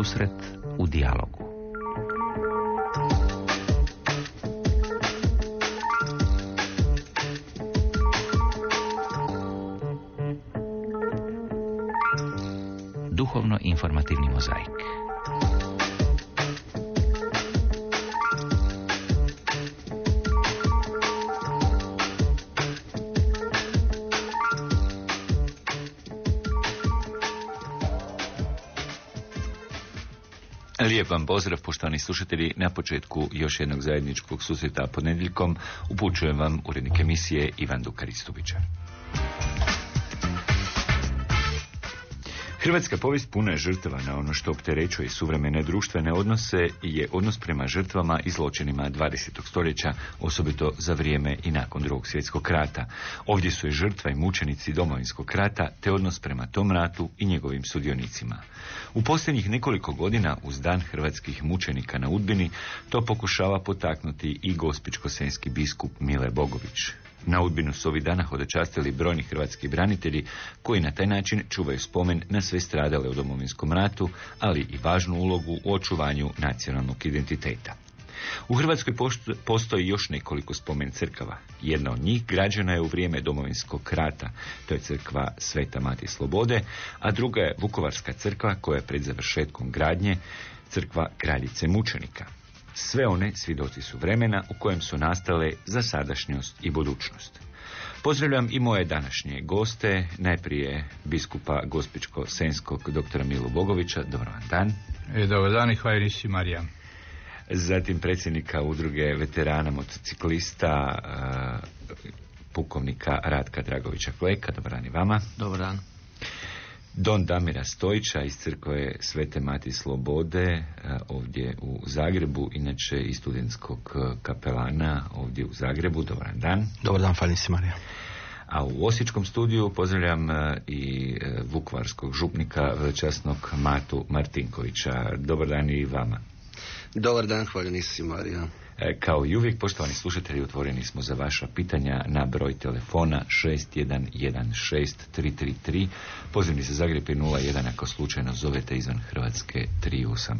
Susret u dijalogu. Duhovno-informativni mozaik. Lijep vam pozdrav, poštovani slušatelji. Na početku još jednog zajedničkog susreta ponedjeljkom upućujem vam urednik emisije Ivan Dukaristovića. Hrvatska povijest puna je žrtava. Na ono što opterećuje suvremene društvene odnose je odnos prema žrtvama i zločinima 20. stoljeća, osobito za vrijeme i nakon Drugog svjetskog rata. Ovdje su i žrtva i mučenici Domovinskog rata, te odnos prema tom ratu i njegovim sudionicima. U posljednjih nekoliko godina, uz dan hrvatskih mučenika na Udbini, to pokušava potaknuti i gospićko-senjski biskup Mile Bogović. Na Udbinu su ovih dana hodočastili brojni hrvatski branitelji koji na taj način čuvaju spomen na sve stradale u Domovinskom ratu, ali i važnu ulogu u očuvanju nacionalnog identiteta. U Hrvatskoj postoji još nekoliko spomen crkava. Jedna od njih građena je u vrijeme Domovinskog rata, to je crkva Sveta Mati Slobode, a druga je Vukovarska crkva koja je pred završetkom gradnje crkva Kraljice mučenika. Sve one svjedoci su vremena u kojem su nastale za sadašnjost i budućnost. Pozdravljam i moje današnje goste, najprije biskupa Gospićko-senjskog doktora Milu Bogovića. Dobar vam dan. Dobar dan i hvala nisi Marija. Zatim predsjednika udruge veterana motociklista, pukovnika Ratka Dragovića Kleka. Dobar dan i vama. Dobar dan. Don Damira Stojića iz crkve Svete Mati Slobode ovdje u Zagrebu, inače i studentskog kapelana ovdje u Zagrebu. Dobar dan. Dobar dan, hvala nisi Marija. A u Osječkom studiju pozdravljam i vukovarskog župnika veličasnog Matu Martinkovića. Dobar dan i vama. Dobar dan, hvala nisi Marija. Kao i uvijek, poštovani slušatelji, otvoreni smo za vaša pitanja na broj telefona 6116-333, pozivni za Zagreb je 01 ako slučajno zovete izvan Hrvatske 385.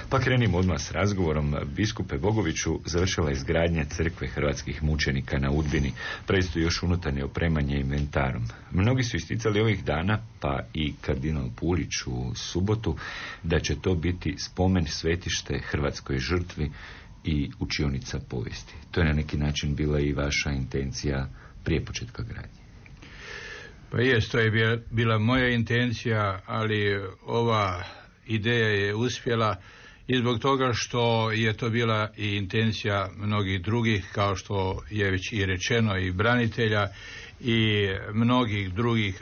Pa krenimo odmah s razgovorom. Biskupe Bogoviću, završila je izgradnja crkve hrvatskih mučenika na Udbini, predstoji još unutarnje opremanje inventarom. Mnogi su isticali ovih dana, pa i kardinal Pulić u subotu, da će to biti spomen svetište hrvatskoj žrtvi i učionica povijesti. To je na neki način bila i vaša intencija prije početka gradnje. Pa jest, to je bila moja intencija, ali ova ideja je uspjela i zbog toga što je to bila i intencija mnogih drugih, kao što je već i rečeno, i branitelja i mnogih drugih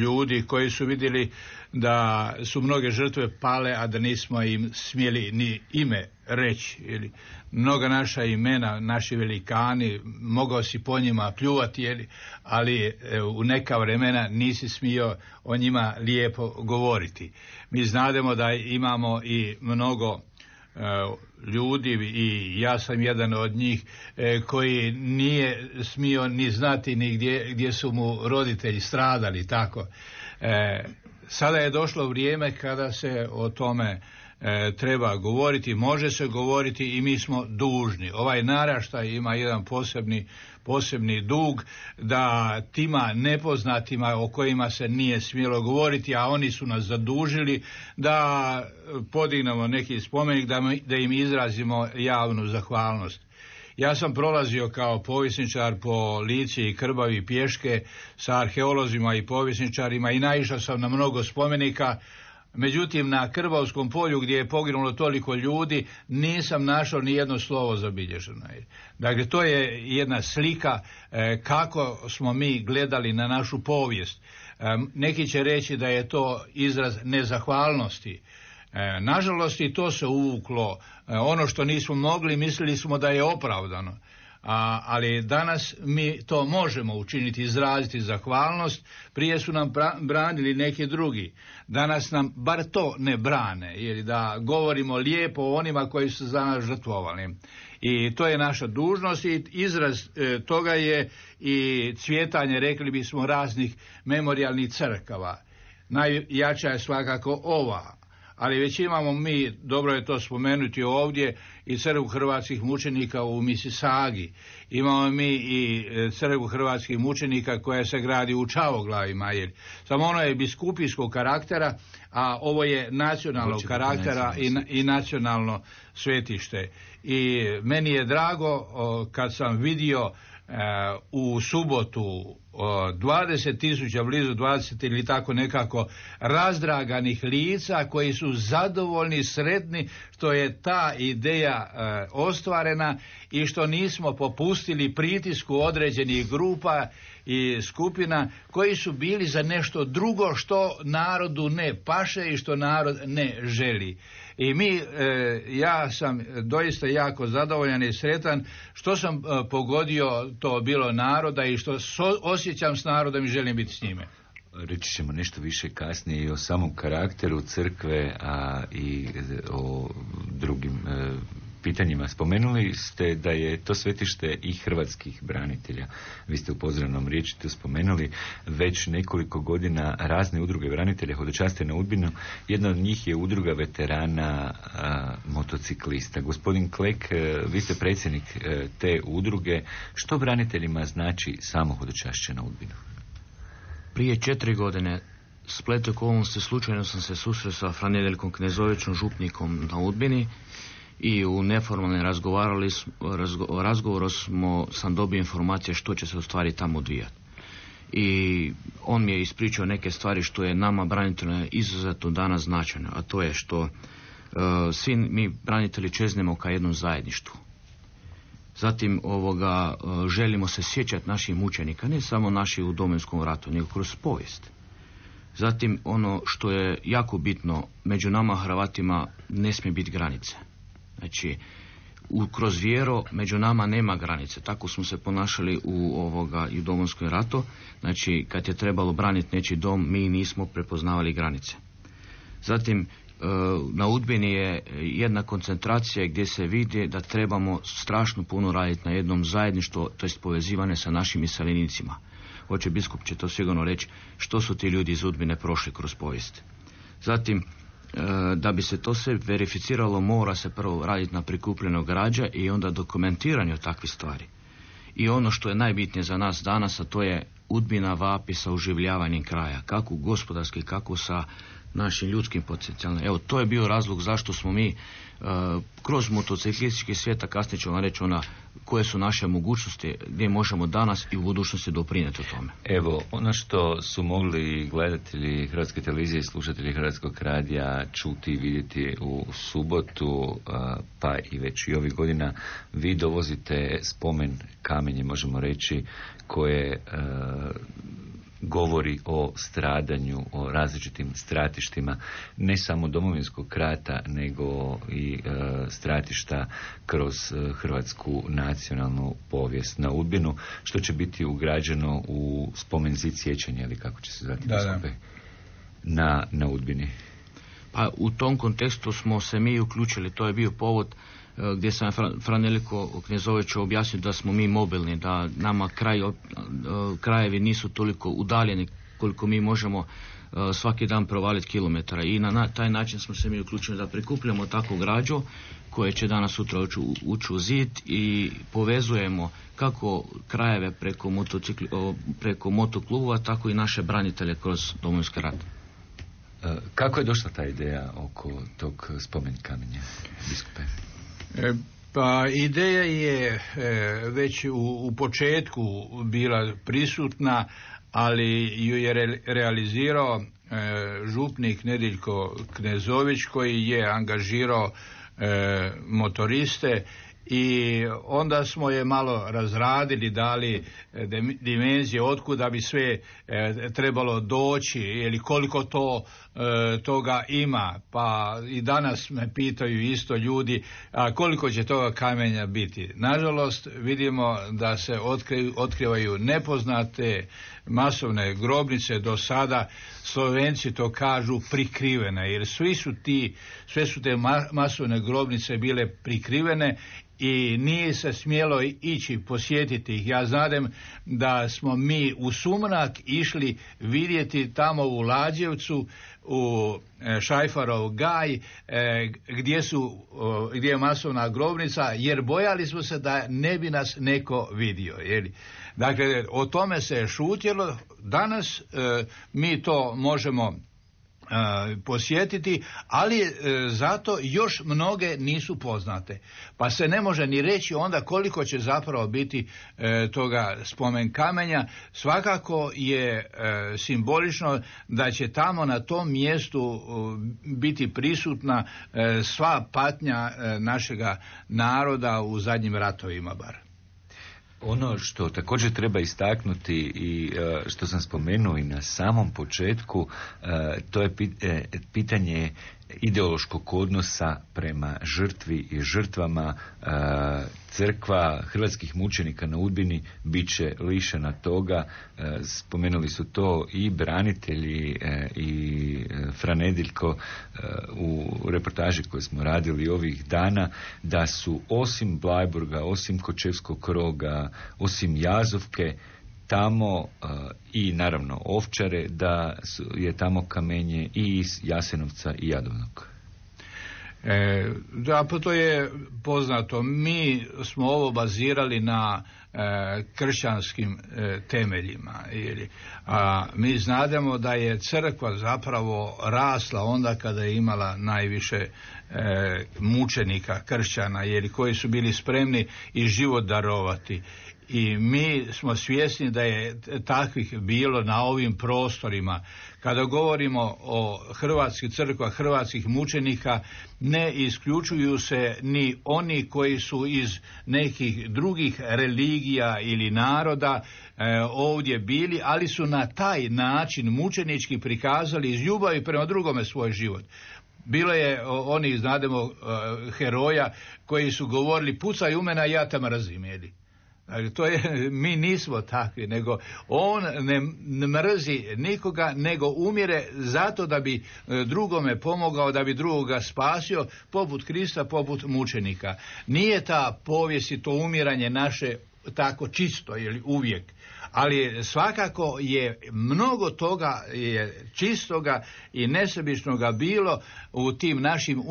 ljudi koji su vidjeli da su mnoge žrtve pale, a da nismo im smjeli ni ime reći. Ili mnoga naša imena, naši velikani, mogao si po njima pljuvati, ali u neka vremena nisi smio o njima lijepo govoriti. Mi znademo da imamo i mnogo ljudi, i ja sam jedan od njih, koji nije smio ni znati ni gdje su mu roditelji stradali, tako. Sada je došlo vrijeme kada se o tome treba govoriti, može se govoriti i mi smo dužni. Ovaj naraštaj ima jedan posebni dug da tima nepoznatima o kojima se nije smjelo govoriti, a oni su nas zadužili da podignemo neki spomenik, da im izrazimo javnu zahvalnost. Ja sam prolazio kao povjesničar po Lici i Krbavi pješke sa arheolozima i povjesničarima i naišao sam na mnogo spomenika. Međutim, na Krbavskom polju gdje je poginulo toliko ljudi nisam našao ni jedno slovo zabilježeno. Dakle, to je jedna slika kako smo mi gledali na našu povijest. Neki će reći da je to izraz nezahvalnosti. Nažalost, i to se uvuklo. Ono što nismo mogli, mislili smo da je opravdano. Ali danas mi to možemo učiniti, izraziti zahvalnost. Prije su nam branili neki drugi. Danas nam bar to ne brane, jer da govorimo lijepo o onima koji su za nas žrtvovali. I to je naša dužnost i izraz toga je i cvjetanje, rekli bismo, raznih memorijalnih crkava. Najjača je svakako ova. ali već imamo mi, dobro je to spomenuti ovdje, i crkvu hrvatskih mučenika u Misisagi. Imamo mi i crkvu hrvatskih mučenika koja se gradi u Čavoglavima. Samo ono je biskupijskog karaktera, a ovo je nacionalnog karaktera i nacionalno svetište. I meni je drago kad sam vidio u subotu 20.000, blizu 20 ili tako nekako razdraganih lica koji su zadovoljni, sretni što je ta ideja ostvarena i što nismo popustili pritisku određenih grupa i skupina koji su bili za nešto drugo što narodu ne paše i što narod ne želi. I ja sam doista jako zadovoljan i sretan što sam pogodio to bilo naroda i što osjećam s narodom i želim biti s njime. Reći ćemo nešto više kasnije i o samom karakteru crkve, a i o drugim pitanjima. Spomenuli ste da je to svetište i hrvatskih branitelja. Vi ste u pozdravnom riječi to spomenuli. Već nekoliko godina razne udruge branitelja hodočaste na Udbinu. Jedna od njih je udruga veterana motociklista. Gospodin Klek, vi ste predsjednik te udruge. Što braniteljima znači samo hodočašće na Udbinu? Prije 4 godine splet okolnosti slučajno sam se susreo sa Fran Nedeljkom Knezovićem, župnikom na Udbini, i u neformalnom razgovoru sam dobio informacije što će se u stvari tamo odvijati. I on mi je ispričao neke stvari što je nama braniteljima izuzetno danas značajno, a to je što svi mi branitelji čeznemo ka jednom zajedništvu. Zatim želimo se sjećati naših mučenika, ne samo naših u Domovinskom ratu, nego kroz povijest. Zatim ono što je jako bitno, među nama Hrvatima ne smije biti granice. Znači, kroz vjero među nama nema granice. Tako smo se ponašali i u Domovinskom ratu. Znači, kad je trebalo braniti nečiji dom, mi nismo prepoznavali granice. Zatim, na Udbini je jedna koncentracija gdje se vidi da trebamo strašno puno raditi na jednom zajedništvu, to jest povezivane sa našim iseljenicima. Hoće biskup će to sigurno reći što su ti ljudi iz Udbine prošli kroz povijest. Zatim, da bi se to sve verificiralo, mora se prvo raditi na prikupljenju građa i onda dokumentiranju takvih stvari. I ono što je najbitnije za nas danas, a to je Udbina vapi sa oživljavanjem kraja, kako gospodarski, kako sa našim ljudskim potencijalom. Evo, to je bio razlog zašto smo mi kroz motociklistički svijet, a kasnije ću vam reći koje su naše mogućnosti, gdje možemo danas i u budućnosti doprinijeti o tome. Evo, ono što su mogli gledatelji Hrvatske televizije i slušatelji Hrvatskog radija čuti i vidjeti u subotu, pa i već i ovih godina, vi dovozite spomen kamenje, možemo reći, koje govori o stradanju, o različitim stratištima, ne samo Domovinskog rata, nego i stratišta kroz hrvatsku nacionalnu povijest na Udbinu, što će biti ugrađeno u spomen zid sjećanja, ili kako će se zvati na Udbini. Pa u tom kontekstu smo se mi uključili, to je bio povod gdje sam Fran Nedeljko Knezoviću objasnio da smo mi mobilni, da nama krajevi nisu toliko udaljeni koliko mi možemo svaki dan provaliti kilometara, i na taj način smo se mi uključili da prikupljamo takvu građu koje će danas sutra ući u zid i povezujemo kako krajeve preko motoklubova, tako i naše branitelje kroz Domovinski rat. Kako je došla ta ideja oko tog spomen kamenja, biskupe? Pa ideja je već u početku bila prisutna, ali ju je realizirao župnik Nedeljko Knezović, koji je angažirao motoriste, i onda smo je malo razradili, dali dimenzije otkuda bi sve trebalo doći ili koliko toga ima. Pa i danas me pitaju isto ljudi, a koliko će toga kamenja biti. Nažalost, vidimo da se otkrivaju nepoznate masovne grobnice. Do sada Slovenci to kažu prikrivene, jer sve su te masovne grobnice bile prikrivene i nije se smjelo ići posjetiti ih. Ja znadem da smo mi u sumrak išli vidjeti tamo u Lađevcu, u Šajfarov gaj, gdje je masovna grobnica, jer bojali smo se da ne bi nas neko vidio. Dakle, o tome se je šutjelo. Danas mi to možemo posjetiti, ali zato još mnoge nisu poznate. Pa se ne može ni reći onda koliko će zapravo biti toga spomen kamenja. Svakako je simbolično da će tamo na tom mjestu biti prisutna sva patnja našega naroda u zadnjim ratovima bar. Ono što također treba istaknuti i što sam spomenuo i na samom početku, to je pitanje ideološkog odnosa prema žrtvi i žrtvama. Crkva hrvatskih mučenika na Udbini bit će lišena toga. Spomenuli su to i branitelji i Franedeljko u reportaži koju smo radili ovih dana, da su osim Blajburga, osim Kočevskog Roga, osim Jazovke, tamo i naravno Ovčare, da je tamo kamenje i iz Jasenovca i Jadovnog. Da, pa to je poznato. Mi smo ovo bazirali na kršćanskim temeljima. A mi znademo da je crkva zapravo rasla onda kada je imala najviše mučenika kršćana, koji su bili spremni i život darovati. I mi smo svjesni da je takvih bilo na ovim prostorima. Kada govorimo o hrvatskih crkva, hrvatskih mučenika, ne isključuju se ni oni koji su iz nekih drugih religija ili naroda ovdje bili, ali su na taj način mučenički prikazali iz ljubavi prema drugome svoj život. Bilo je onih, znademo, heroja koji su govorili pucaj u mene, ja te mrzim, to je, mi nismo takvi, nego on ne mrzi nikoga, nego umire zato da bi drugome pomogao, da bi drugoga spasio, poput Krista, poput mučenika. Nije ta povijest i to umiranje naše tako čisto, uvijek, ali svakako je mnogo toga je čistoga i nesebičnoga bilo u tim našim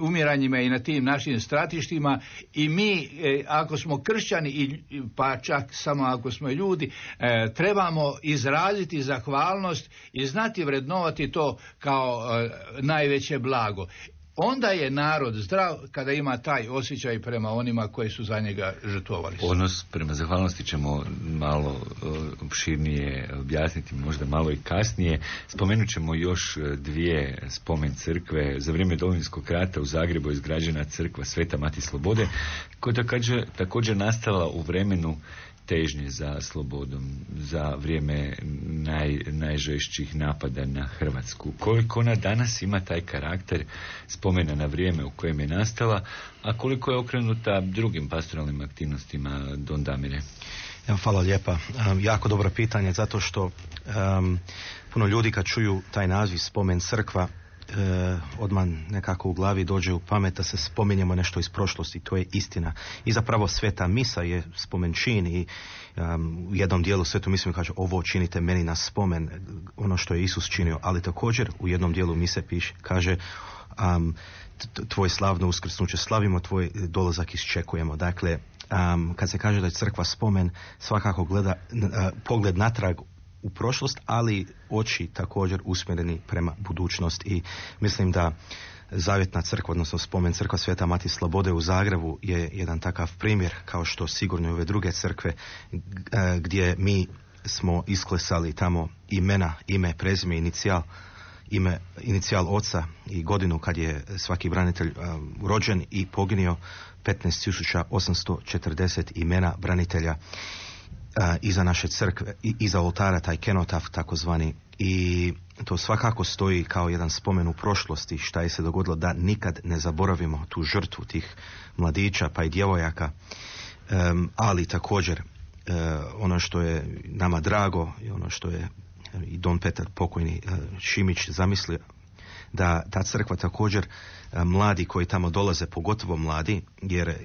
umiranjima i na tim našim stratištima, i mi ako smo kršćani, pa čak samo ako smo ljudi, trebamo izraziti zahvalnost i znati vrednovati to kao najveće blago. Onda je narod zdrav kada ima taj osjećaj prema onima koji su za njega žrtvovali. Odnos prema zahvalnosti ćemo malo opširnije objasniti, možda malo i kasnije. Spomenut ćemo još dvije spomen crkve. Za vrijeme Domovinskog rata u Zagrebu je izgrađena crkva Sveta Mati Slobode, koja je također nastala u vremenu težnje za slobodom, za vrijeme najžešćih napada na Hrvatsku. Koliko ona danas ima taj karakter spomena na vrijeme u kojem je nastala, a koliko je okrenuta drugim pastoralnim aktivnostima, Don Damire? Hvala lijepa. Jako dobro pitanje, zato što puno ljudi kad čuju taj naziv spomen crkva, odmah nekako u glavi dođe u pamet da se spominjemo nešto iz prošlosti. To je istina. I zapravo sveta misa je spomen čin, i u jednom dijelu svetu misu kaže ovo činite meni na spomen, ono što je Isus činio, ali također u jednom dijelu mise kaže tvoj slavno uskrsnuće slavimo, tvoj dolazak iščekujemo. Dakle, kad se kaže da je crkva spomen, svakako gleda pogled natrag u prošlost, ali oči također usmjereni prema budućnost, i mislim da Zavjetna crkva, odnosno spomen crkva Sveta Mati Slobode u Zagrebu je jedan takav primjer, kao što sigurno i ove druge crkve gdje mi smo isklesali tamo imena, ime, prezime, inicijal oca i godinu kad je svaki branitelj rođen i poginio, 15.840 imena branitelja iza naše crkve, iza oltara, taj kenotaf takozvani, i to svakako stoji kao jedan spomen u prošlosti šta je se dogodilo, da nikad ne zaboravimo tu žrtvu tih mladića pa i djevojaka, ali također ono što je nama drago i ono što je i Don Petar pokojni Šimić zamislio, da ta crkva također, mladi koji tamo dolaze, pogotovo mladi,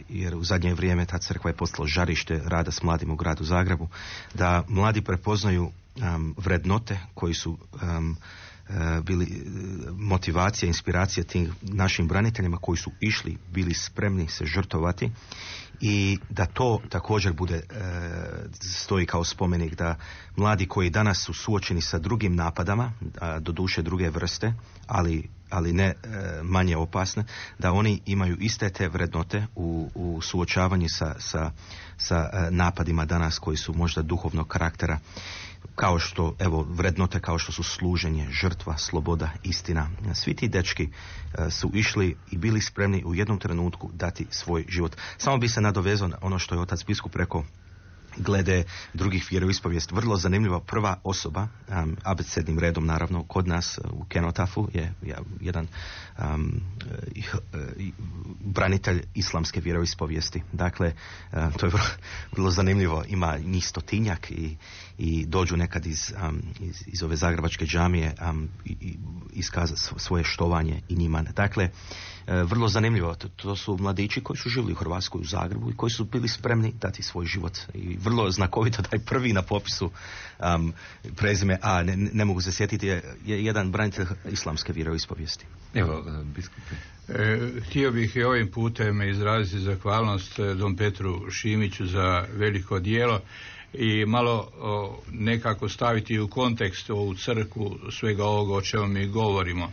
jer u zadnje vrijeme ta crkva je postala žarište rada s mladima u gradu Zagrebu, da mladi prepoznaju vrednote koji su bili motivacija, inspiracija tim našim braniteljima koji su išli, bili spremni se žrtovati, i da to također bude stoji kao spomenik, da mladi koji danas su suočeni sa drugim napadama, doduše druge vrste, ali ne manje opasne, da oni imaju iste te vrednote u suočavanju sa napadima danas koji su možda duhovnog karaktera, kao što, evo, vrednote kao što su služenje, žrtva, sloboda, istina. Svi ti dečki su išli i bili spremni u jednom trenutku dati svoj život. Samo bi se nadovezao na ono što je otac biskup rekao glede drugih vjeroispovijesti. Vrlo zanimljiva prva osoba, abecednim redom naravno, kod nas u Kenotafu je jedan branitelj islamske vjeroispovijesti. Dakle, to je vrlo zanimljivo. Ima njih 100-tinjak i dođu nekad iz ove zagrebačke džamije i iskazati svoje štovanje i njima. Dakle, vrlo zanimljivo. To su mladići koji su živjeli u Hrvatskoj, u Zagrebu, i koji su bili spremni dati svoj život. I vrlo znakovito da je prvi na popisu prezime, ne mogu se sjetiti, je jedan branitelj islamske vjeroispovijesti. Evo, biskupe. Htio bih i ovim putem izraziti zahvalnost dom Petru Šimiću za veliko djelo i malo nekako staviti u kontekst ovu crkvu svega ovoga o čemu mi govorimo.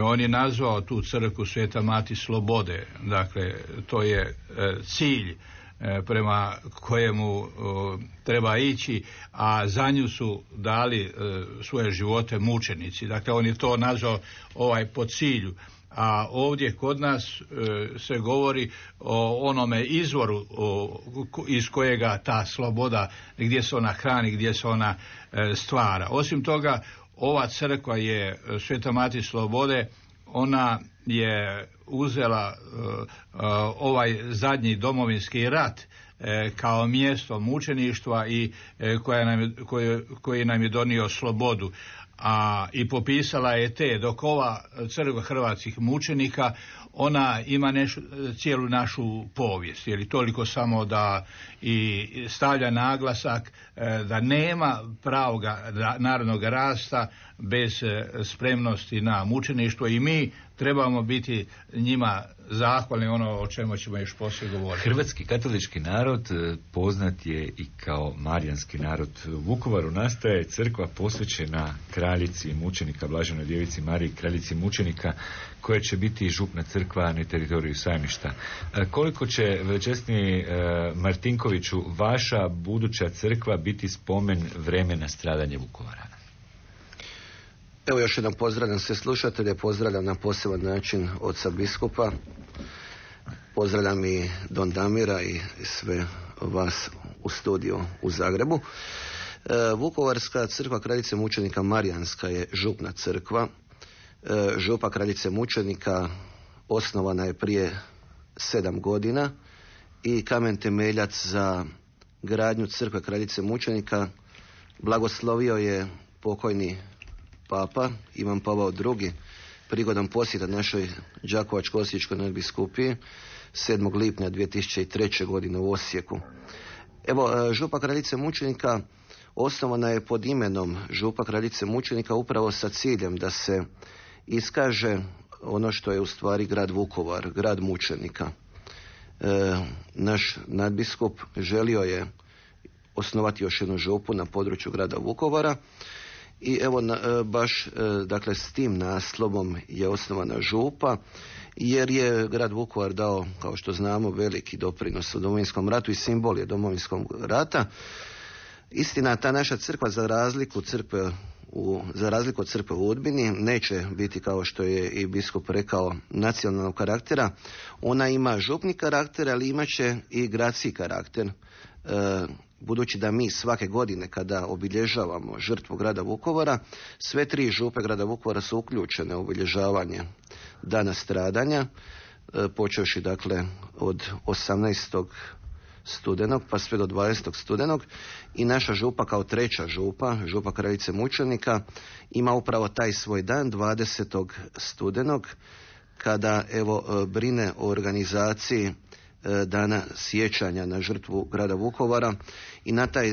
On je nazvao tu crkvu Sveta Mati Slobode, dakle to je cilj prema kojemu treba ići, a za nju su dali svoje živote mučenici. Dakle, on je to nazvao po cilju. A ovdje kod nas se govori o onome izvoru iz kojega ta sloboda, gdje se ona hrani, gdje se ona stvara. Osim toga, ova crkva je Sveta Mati Slobode, ona je uzela ovaj zadnji domovinski rat kao mjesto mučeništva i koji nam je donio slobodu. I popisala je dok ova crkva hrvatskih mučenika, ona ima cijelu našu povijest, jer toliko samo da i stavlja naglasak da nema pravog narodnog rasta bez spremnosti na mučeništvo, i mi trebamo biti njima zahvalni, ono o čemu ćemo još poslije govoriti. Hrvatski katolički narod poznat je i kao marijanski narod. U Vukovaru nastaje crkva posvećena kraljici mučenika, Blaženoj djevici Mariji, kraljici mučenika, koja će biti župna crkva na teritoriju Sajmišta. Koliko će, veličasni Martinkoviću, vaša buduća crkva biti spomen vremena stradanja Vukovara? Evo, još jednom pozdravljam sve slušatelje, pozdravljam na poseban način oca biskupa, pozdravljam i don Damira i sve vas u studiju u Zagrebu. Vukovarska crkva kraljice mučenika Marijanska je župna crkva. Župa kraljice mučenika osnovana je prije 7 godina i kamen temeljac za gradnju crkve kraljice mučenika blagoslovio je pokojni Papa Ivan Pavao II prigodom posjeta našoj Đakovačko-osječkoj nadbiskupiji 7. lipnja 2003. godine u Osijeku. Evo, župa kraljice mučenika osnovana je pod imenom župa kraljice mučenika upravo sa ciljem da se iskaže ono što je u stvari grad Vukovar, grad mučenika. Naš nadbiskup želio je osnovati još jednu župu na području grada Vukovara i evo baš dakle s tim naslovom je osnovana župa, jer je grad Vukovar dao, kao što znamo, veliki doprinos u Domovinskom ratu i simbol je Domovinskog rata. Istina, ta naša crkva za razliku od crkve u Udbini neće biti, kao što je i biskup rekao, nacionalnog karaktera. Ona ima župni karakter, ali imat će i gradski karakter. Budući da mi svake godine kada obilježavamo žrtvu grada Vukovara, sve 3 župe grada Vukovara su uključene u obilježavanje dana stradanja, počevši dakle od 18. studenog pa sve do 20. studenog i naša župa kao treća župa, župa Kraljice mučenika, ima upravo taj svoj dan 20. studenog kada brine o organizaciji dana sjećanja na žrtvu grada Vukovara i na taj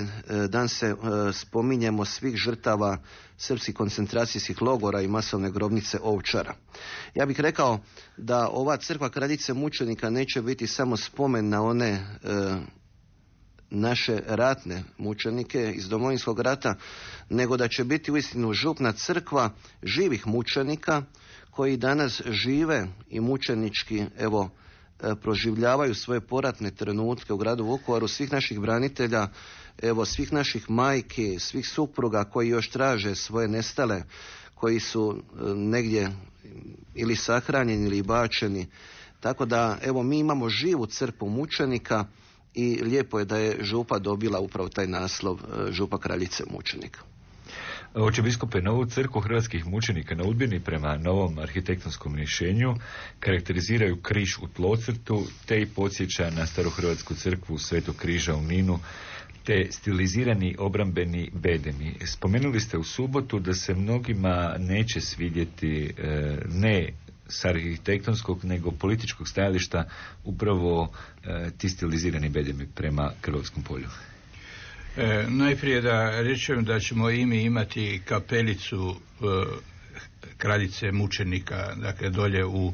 dan se spominjemo svih žrtava srpskih koncentracijskih logora i masovne grobnice Ovčara. Ja bih rekao da ova crkva Kraljice mučenika neće biti samo spomen na one naše ratne mučenike iz Domovinskog rata, nego da će biti uistinu župna crkva živih mučenika koji danas žive i mučenički proživljavaju svoje poratne trenutke u gradu Vukovaru, svih naših branitelja, svih naših majki, svih supruga koji još traže svoje nestale, koji su negdje ili sahranjeni ili bačeni. Tako da mi imamo živu crkvu mučenika i lijepo je da je župa dobila upravo taj naslov župa Kraljice mučenika. Oče biskupe, novu crkvu hrvatskih mučenika na Udbini prema novom arhitektonskom rješenju karakteriziraju križ u tlocrtu, te i podsjeća na starohrvatsku crkvu Svetog križa u Ninu, te stilizirani obrambeni bedemi. Spomenuli ste u subotu da se mnogima neće svidjeti ne s arhitektonskog nego političkog stajališta upravo ti stilizirani bedemi prema Krvavskom polju. Najprije da rečem da ćemo i mi imati kapelicu Kraljice mučenika, dakle dolje u...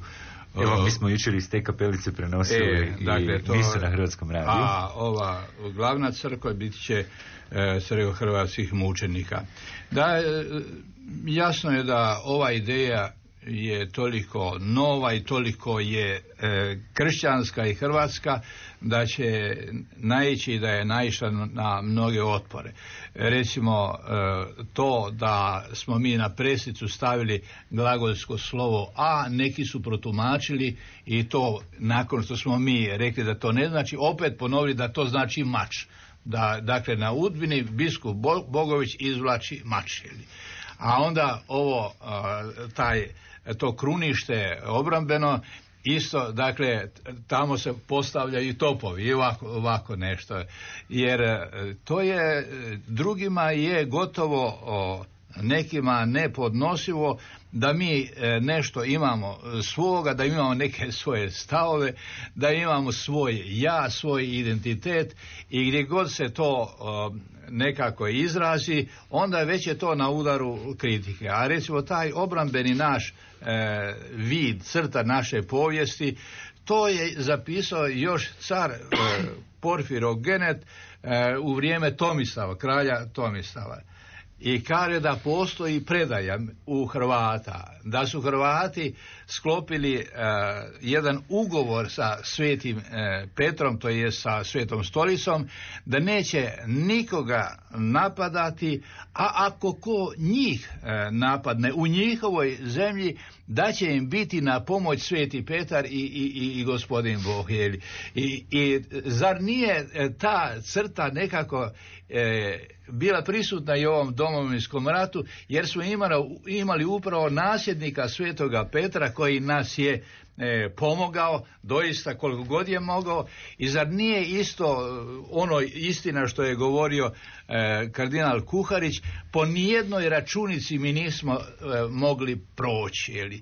Evo, mi smo jučer iz te kapelice prenosili i misu na Hrvatskom radiju. A ova glavna crkva bit će crkva hrvatskih mučenika. Da, jasno je da ova ideja je toliko nova i toliko je kršćanska i hrvatska da će naići i da je naišla na mnoge otpore. Recimo to da smo mi na presicu stavili glagolsko slovo a, neki su protumačili i to nakon što smo mi rekli da to ne znači, opet ponovili da to znači mač. Dakle na Udbini biskup Bogović izvlači mač. A onda to krunište obrambeno isto, dakle tamo se postavljaju topovi i ovako nešto, jer to je drugima je gotovo nekima nepodnosivo da mi nešto imamo svoga, da imamo neke svoje stavove, da imamo svoj ja, svoj identitet i gdje god se to nekako izrazi, onda već je to na udaru kritike. A recimo taj obrambeni naš vid, crta naše povijesti, to je zapisao još car Porfirogenet u vrijeme Tomislava, kralja Tomislava. I kaže da postoji predaja u Hrvata, da su Hrvati sklopili jedan ugovor sa Svetim Petrom, to je sa Svetom Stolicom, da neće nikoga napadati, a ako ko njih napadne u njihovoj zemlji, da će im biti na pomoć Sveti Petar i gospodin Bog. I zar nije ta crta nekako bila prisutna i u ovom Domovinskom ratu, jer smo imali upravo nasljednika Svetoga Petra koji nas je pomogao doista koliko god je mogao. I zar nije isto ono istina što je govorio kardinal Kuharić, po nijednoj računici mi nismo mogli proći,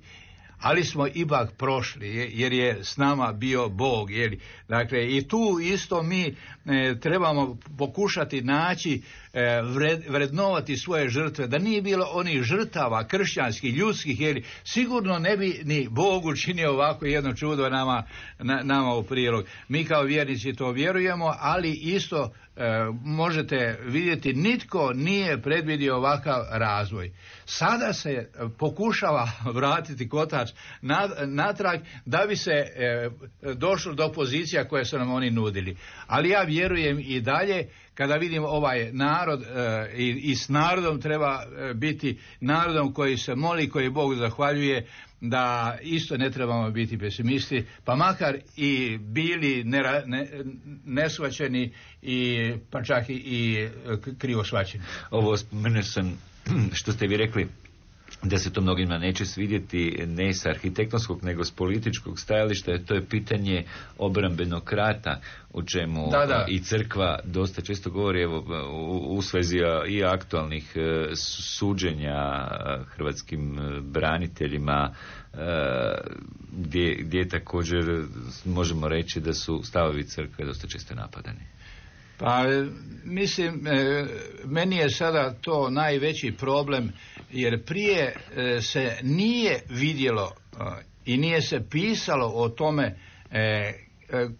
ali smo ipak prošli jer je s nama bio Bog. Dakle, i tu isto mi trebamo pokušati naći, vrednovati svoje žrtve, da nije bilo onih žrtava kršćanskih, ljudskih, sigurno ne bi ni Bog učinio ovako jedno čudo nama u prilog. Mi kao vjernici to vjerujemo, ali isto možete vidjeti, nitko nije predvidio ovakav razvoj. Sada se pokušava vratiti kotač natrag da bi se došlo do pozicija koje su nam oni nudili. Ali ja vjerujem i dalje, kada vidim ovaj narod i s narodom treba biti narodom koji se moli, koji Bog zahvaljuje, da isto ne trebamo biti pesimisti, pa makar i bili neshvaćeni i pa čak i krivo shvaćeni. Ovo spomenuo sam što ste vi rekli da se to mnogima neće svidjeti ne sa arhitektonskog nego s političkog stajališta, to je pitanje obrambenog rata, o čemu i crkva dosta često govori, evo, u svezi i aktualnih suđenja hrvatskim braniteljima, gdje također možemo reći da su stavovi crkve dosta često napadani. Pa mislim, meni je sada to najveći problem, jer prije se nije vidjelo i nije se pisalo o tome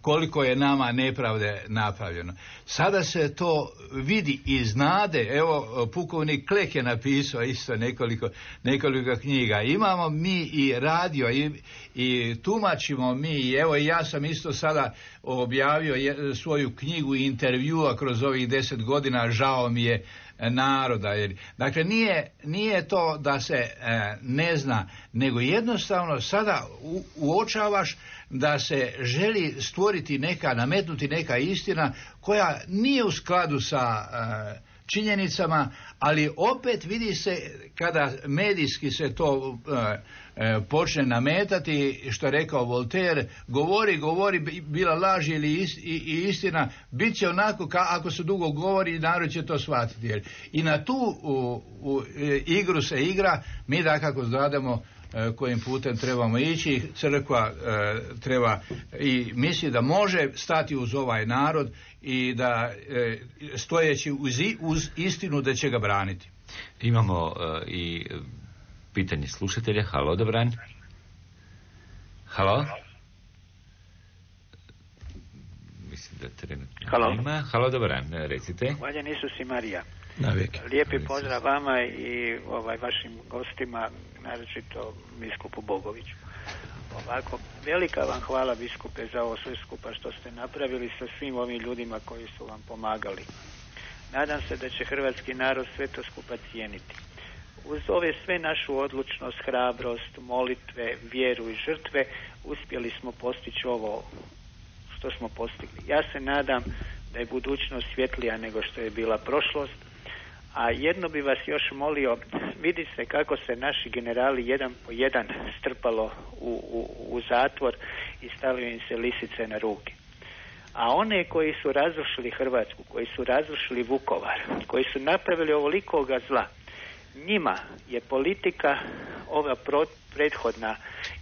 koliko je nama nepravde napravljeno. Sada se to vidi i znade. Evo, pukovnik Klek je napisao isto nekoliko knjiga. Imamo mi i radio i tumačimo mi. Evo, ja sam isto sada objavio svoju knjigu i intervjua kroz ovih 10 godina, žao mi je naroda. Dakle, nije to da se ne zna, nego jednostavno sada uočavaš da se želi stvoriti nametnuti neka istina koja nije u skladu sa činjenicama, ali opet vidi se kada medijski se to počne nametati, što je rekao Voltaire, govori, bila laž ili istina, bit će onako ako se dugo govori, narod će to shvatiti. I na tu igru se igra, mi dakako znademo kojim putem trebamo ići. Crkva treba i misli da može stati uz ovaj narod i da stojeći uz istinu da će ga braniti. Imamo i pitanje slušatelja. Halo, dobran. Halo? Mislim da trenutno ima. Halo, dobran, recite. Hvaljen Isus i Marija. Navijek. Lijepi pozdrav vama i vašim gostima, naročito biskupu Bogoviću. Ovako, velika vam hvala, biskupe, za ovo sve skupa što ste napravili sa svim ovim ljudima koji su vam pomagali. Nadam se da će hrvatski narod sve to skupa cijeniti. Uz ove sve našu odlučnost, hrabrost, molitve, vjeru i žrtve uspjeli smo postići ovo što smo postigli. Ja se nadam da je budućnost svjetlija nego što je bila prošlost. A jedno bi vas još molio, vidi se kako se naši generali jedan po jedan strpalo u zatvor i stavio im se lisice na ruke. A one koji su razrušili Hrvatsku, koji su razrušili Vukovar, koji su napravili ovolikoga zla, njima je politika ova prethodna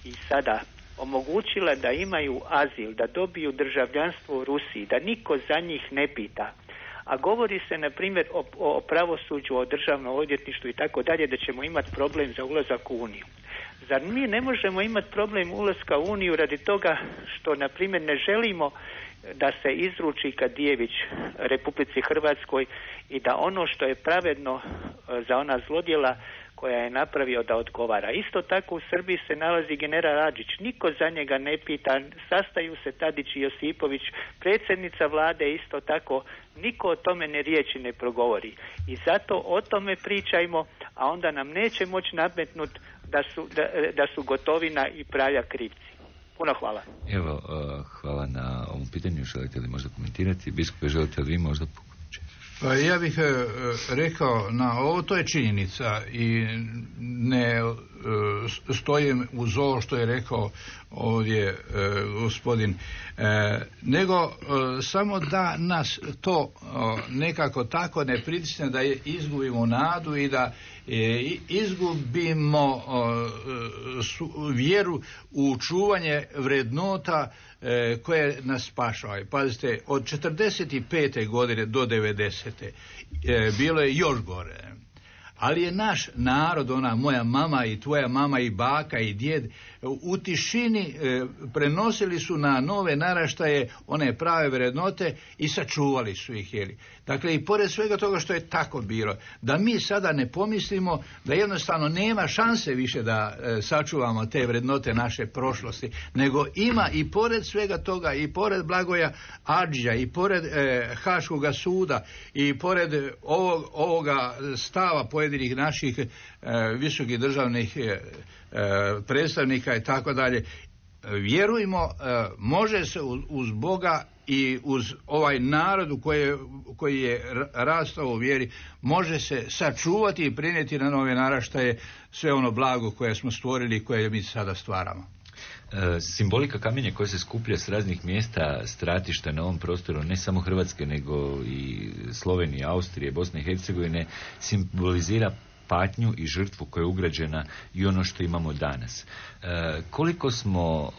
i sada omogućila da imaju azil, da dobiju državljanstvo u Rusiji, da niko za njih ne pita. A govori se, na primjer, o pravosuđu, o državnom odvjetništvu i tako dalje, da ćemo imati problem za ulazak u Uniju. Zar mi ne možemo imati problem ulaska u Uniju radi toga što, na primjer, ne želimo da se izruči Kadijević Republici Hrvatskoj i da ono što je pravedno za ona zlodjela koja je napravio da odgovara. Isto tako u Srbiji se nalazi general Radžić. Niko za njega ne pita, sastaju se Tadić i Josipović, predsjednica vlade isto tako, niko o tome ne riječi ne progovori. I zato o tome pričajmo, a onda nam neće moći nametnuti da su Gotovina i Praljak krivci. Puno hvala. Evo, hvala na ovom pitanju. Želite li možda komentirati? Biskupe, želite li vi možda pomoći? Pa ja bih rekao na ovo, to je činjenica i ne stojim uz ovo što je rekao ovdje gospodin, nego samo da nas to nekako tako ne pritisne da izgubimo nadu i da izgubimo vjeru u čuvanje vrednota koje nas spašavaju. Pazite, od 45. godine do 90. Bilo je još gore. Ali je naš narod, ona moja mama i tvoja mama i baka i djed, u tišini prenosili su na nove naraštaje one prave vrednote i sačuvali su ih. Dakle, i pored svega toga što je tako bilo, da mi sada ne pomislimo da jednostavno nema šanse više da sačuvamo te vrednote naše prošlosti, nego ima i pored svega toga, i pored Blagoja Adžija, i pored Haškoga suda, i pored ovoga stava pojedinih naših visokih državnih predstavnika i tako dalje. Vjerujmo, može se uz Boga i uz ovaj narod koji je rastao u vjeri može se sačuvati i prenijeti na nove naraštaje sve ono blago koje smo stvorili i koje mi sada stvaramo. Simbolika kamenja koja se skuplja s raznih mjesta, stratišta na ovom prostoru, ne samo Hrvatske, nego i Slovenije, Austrije, Bosne i Hercegovine, simbolizira patnju i žrtvu koja je ugrađena i ono što imamo danas. Koliko smo,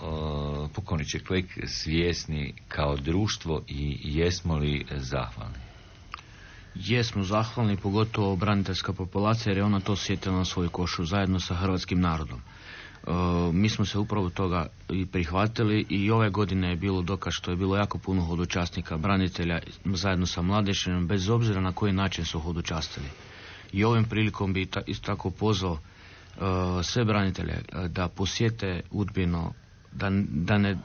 pokojniče Klek, svjesni kao društvo i jesmo li zahvalni? Jesmo zahvalni, pogotovo braniteljska populacija, jer je ona to osjetila na svoju košu zajedno sa hrvatskim narodom. Mi smo se upravo toga i prihvatili i ove godine je bilo dokaz što je bilo jako puno hodočasnika, branitelja zajedno sa mladežem, bez obzira na koji način su hodočastili. I ovim prilikom bi isto tako pozvao sve branitelje da posjete Udbinu,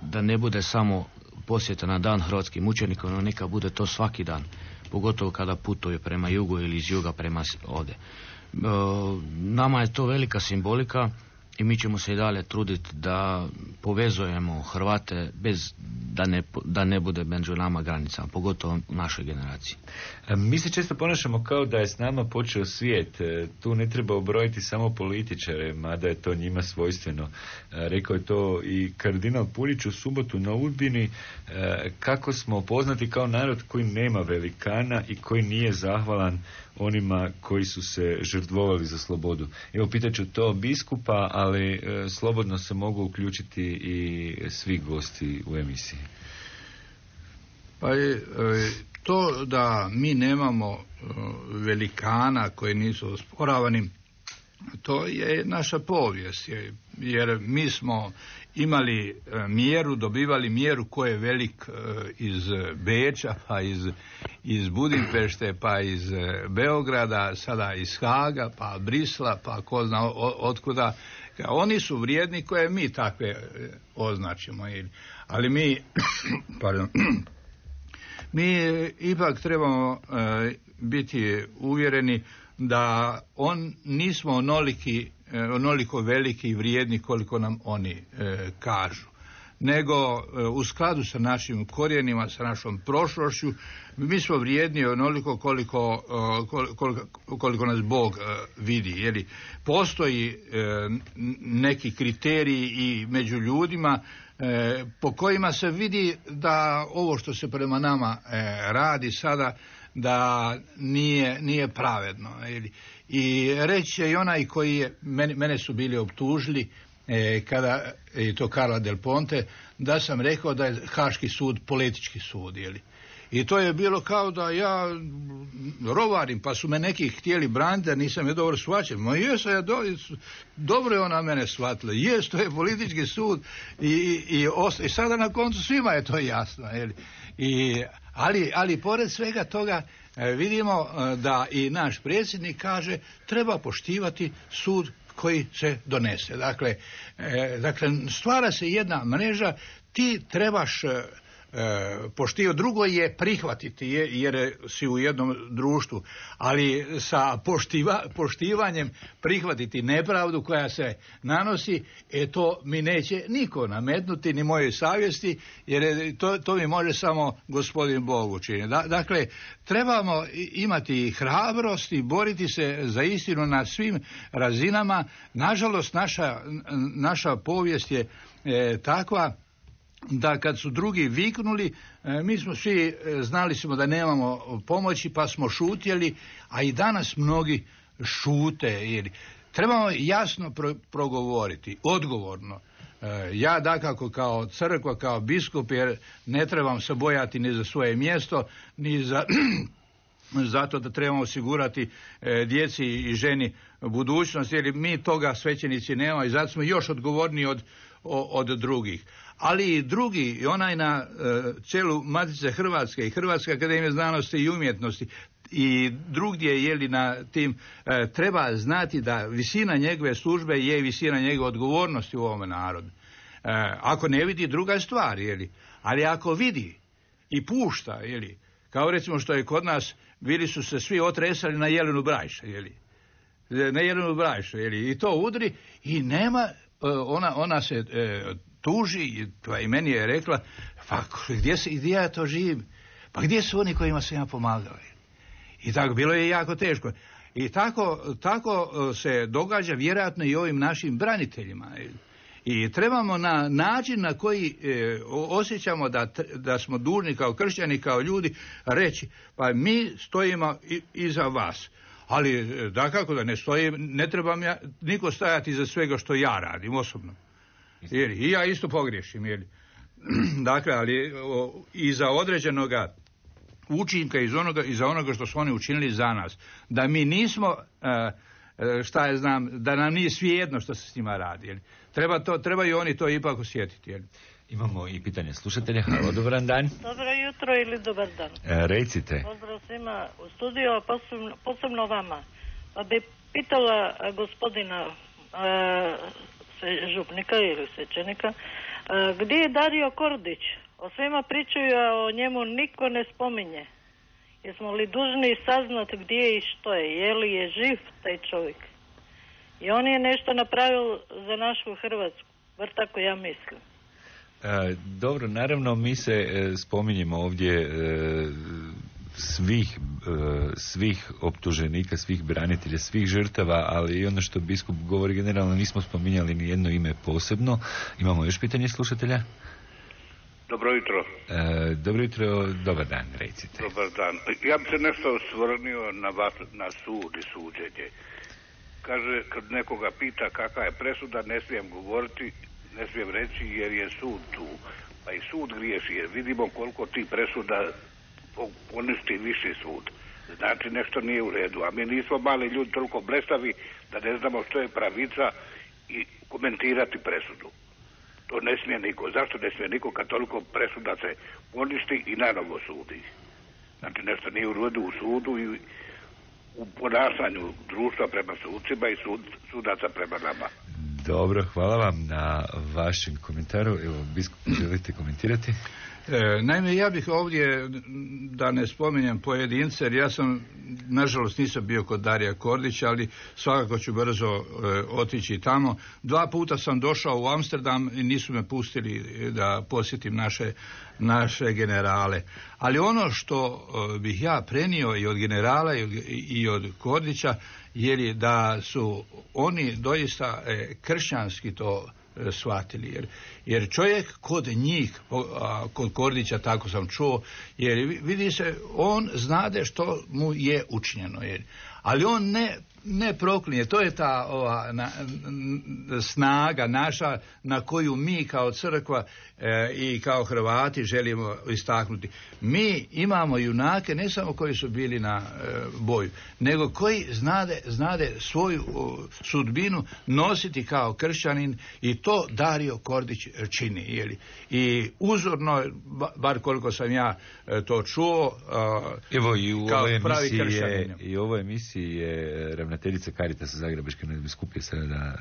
da ne bude samo posjeta na dan hrvatskim mučenika, no neka bude to svaki dan, pogotovo kada putuje prema jugu ili iz juga prema ovdje. Nama je to velika simbolika i mi ćemo se i dalje truditi da povezujemo Hrvate bez da ne bude među nama granicama, pogotovo u našoj generaciji. Mi se često ponašamo kao da je s nama počeo svijet. Tu ne treba obrojiti samo političare, mada je to njima svojstveno. Rekao je to i kardinal Puljić u subotu na Udbini, kako smo poznati kao narod koji nema velikana i koji nije zahvalan onima koji su se žrtvovali za slobodu. Evo, pitaću to biskupa, ali slobodno se mogu uključiti i svi gosti u emisiji. Pa to da mi nemamo velikana koji nisu osporavani, to je naša povijest, jer mi smo imali mjeru, dobivali mjeru ko je velik iz Beča, pa iz Budimpešte, pa iz Beograda, sada iz Haga, pa Brisla, pa ko zna otkuda. Oni su vrijedni koje mi takve označimo. Ali mi, pardon, mi ipak trebamo biti uvjereni da nismo onoliko veliki i vrijedni koliko nam oni kažu, nego u skladu sa našim korijenima, sa našom prošlošću, mi smo vrijedni onoliko koliko nas Bog vidi. Jer postoji neki kriteriji i među ljudima po kojima se vidi da ovo što se prema nama radi sada, da nije pravedno. I reći će i onaj koji je, mene su bili optužili, kada je to Carla Del Ponte, da sam rekao da je Haški sud politički sud. I to je bilo kao da ja rovarim, pa su me neki htjeli braniti, da nisam je dobro shvaćen. Ma jesam ja dobro je ona mene shvatila. Jes, to je politički sud i sada na koncu svima je to jasno. Ali pored svega toga vidimo da i naš predsjednik kaže treba poštivati sud koji se donese. Dakle, stvara se jedna mreža, ti trebaš poštivati, drugo je prihvatiti jer si u jednom društvu, ali sa poštivanjem prihvatiti nepravdu koja se nanosi, to mi neće niko nametnuti, ni moje savjesti, jer to mi može samo gospodin Bog učiniti. Dakle, trebamo imati hrabrost i boriti se za istinu na svim razinama. Nažalost, naša povijest je takva da kad su drugi viknuli, mi smo svi znali smo da nemamo pomoći, pa smo šutjeli, a i danas mnogi šute. Trebamo jasno progovoriti, odgovorno. Ja dakako kao crkva, kao biskup, jer ne trebam se bojati ni za svoje mjesto, ni za zato da trebamo osigurati djeci i ženi budućnost, jer mi toga svećenici nemamo i zato smo još odgovorniji od drugih. Ali i drugi, i onaj na čelu Matice Hrvatske i Hrvatske akademije znanosti i umjetnosti i drugdje na tim, treba znati da visina njegove službe je visina njegove odgovornosti u ovome narodu. Ako ne vidi, druga stvar, ali ako vidi i pušta, kao recimo što je kod nas, bili su se svi otresali na Jelenu Brajša, na Jelenu Brajšu, i to udri i nema, ona se tuži, pa i meni je rekla, pa gdje ja to živim? Pa gdje su oni kojima sam ja pomagao? I tako, bilo je jako teško. I tako se događa vjerojatno i ovim našim braniteljima. I trebamo na način na koji osjećamo da smo dužni kao kršćani, kao ljudi, reći, pa mi stojimo iza vas. Ali dakako da ne stojim, ne trebam niko stajati iza svega što ja radim osobno. I ja isto pogriješim. Dakle, ali iza određenoga učinka, iza onoga što su oni učinili za nas. Da mi nismo, da nam nije svejedno što se s njima radi. Treba i oni to ipak osjetiti. Imamo i pitanje slušatelja. Halo, dobar dan. Dobro jutro ili dobar dan. Recite. Pozdrav svima u studiju, posebno vama. Pa bi pitala gospodina župnika ili svećenika, gdje je Dario Kordić? O svima pričaju, a o njemu niko ne spominje. Jesmo li dužni saznati gdje je i što je? Je li je živ taj čovjek? I on je nešto napravio za našu Hrvatsku. Bar tako ja mislim. Dobro, naravno mi se spominjemo ovdje svih optuženika, svih branitelja, svih žrtava, ali i ono što biskup govori generalno nismo spominjali ni jedno ime posebno. Imamo još pitanje slušatelja? Dobro jutro. Dobro jutro, dobar dan, recite. Dobar dan. Ja bi se nešto osvrnio na sud i suđenje. Kaže, kad nekoga pita kakva je presuda, ne smijem govoriti, ne smijem reći jer je sud tu. Pa i sud griješi jer vidimo koliko ti presuda poništi viši sud. Znači nešto nije u redu. A mi nismo mali ljudi toliko blestavi da ne znamo što je pravica i komentirati presudu. To ne smije niko. Zašto ne smije niko kad toliko presuda se poništi i nanovo sudi? Znači nešto nije u redu u sudu i u ponašanju društva prema sucima i sudaca prema nama. Dobro, hvala vam na vašem komentaru. Evo, biskup, želite komentirati? Naime, ja bih ovdje, da ne spominjem pojedince, jer ja sam, nažalost, nisam bio kod Darija Kordića, ali svakako ću brzo otići tamo. 2 puta sam došao u Amsterdam i nisu me pustili da posjetim naše generale. Ali ono što bih ja prenio i od generala i od Kordića, je da su oni doista kršćanski to shvatili, jer čovjek kod njih, kod Kordića tako sam čuo, jer vidi se, on znade što mu je učinjeno, ali on ne proklinje. To je ta snaga naša na koju mi kao crkva i kao Hrvati želimo istaknuti. Mi imamo junake ne samo koji su bili na boju, nego koji znade svoju sudbinu nositi kao kršćanin, i to Dario Kordić čini. I uzorno, bar koliko sam ja to čuo, evo i u kao pravi kršćanin. I u ovoj emisiji je ravnateljica Caritasa Zagrebačke nadbiskupije sada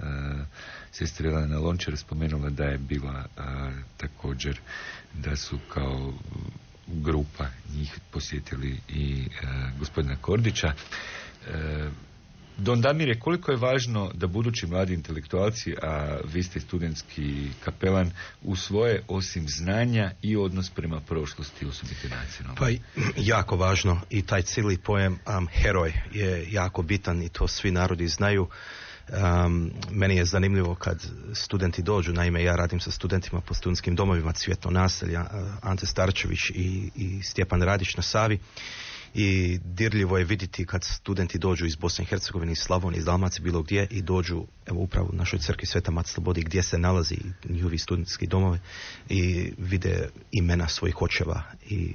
sestra Elena Lončar spomenula da je bila također da su kao grupa njih posjetili i gospodina Kordića. Don Damire, koliko je važno da budući mladi intelektualci, a vi ste studentski kapelan, u svoje osim znanja i odnos prema prošlosti osobite nacionalno? Pa jako važno, i taj cijeli pojam heroj je jako bitan i to svi narodi znaju. Meni je zanimljivo kad studenti dođu, naime ja radim sa studentima po studentskim domovima Cvjetno naselje, Ante Starčević i Stjepan Radić na Savi. I dirljivo je vidjeti kad studenti dođu iz Bosne i Hercegovine, iz Slavonije, iz Dalmacije, bilo gdje, i dođu evo upravo u našoj crkvi Sveta Mati Slobodi gdje se nalazi njihovi studentski domove i vide imena svojih očeva. I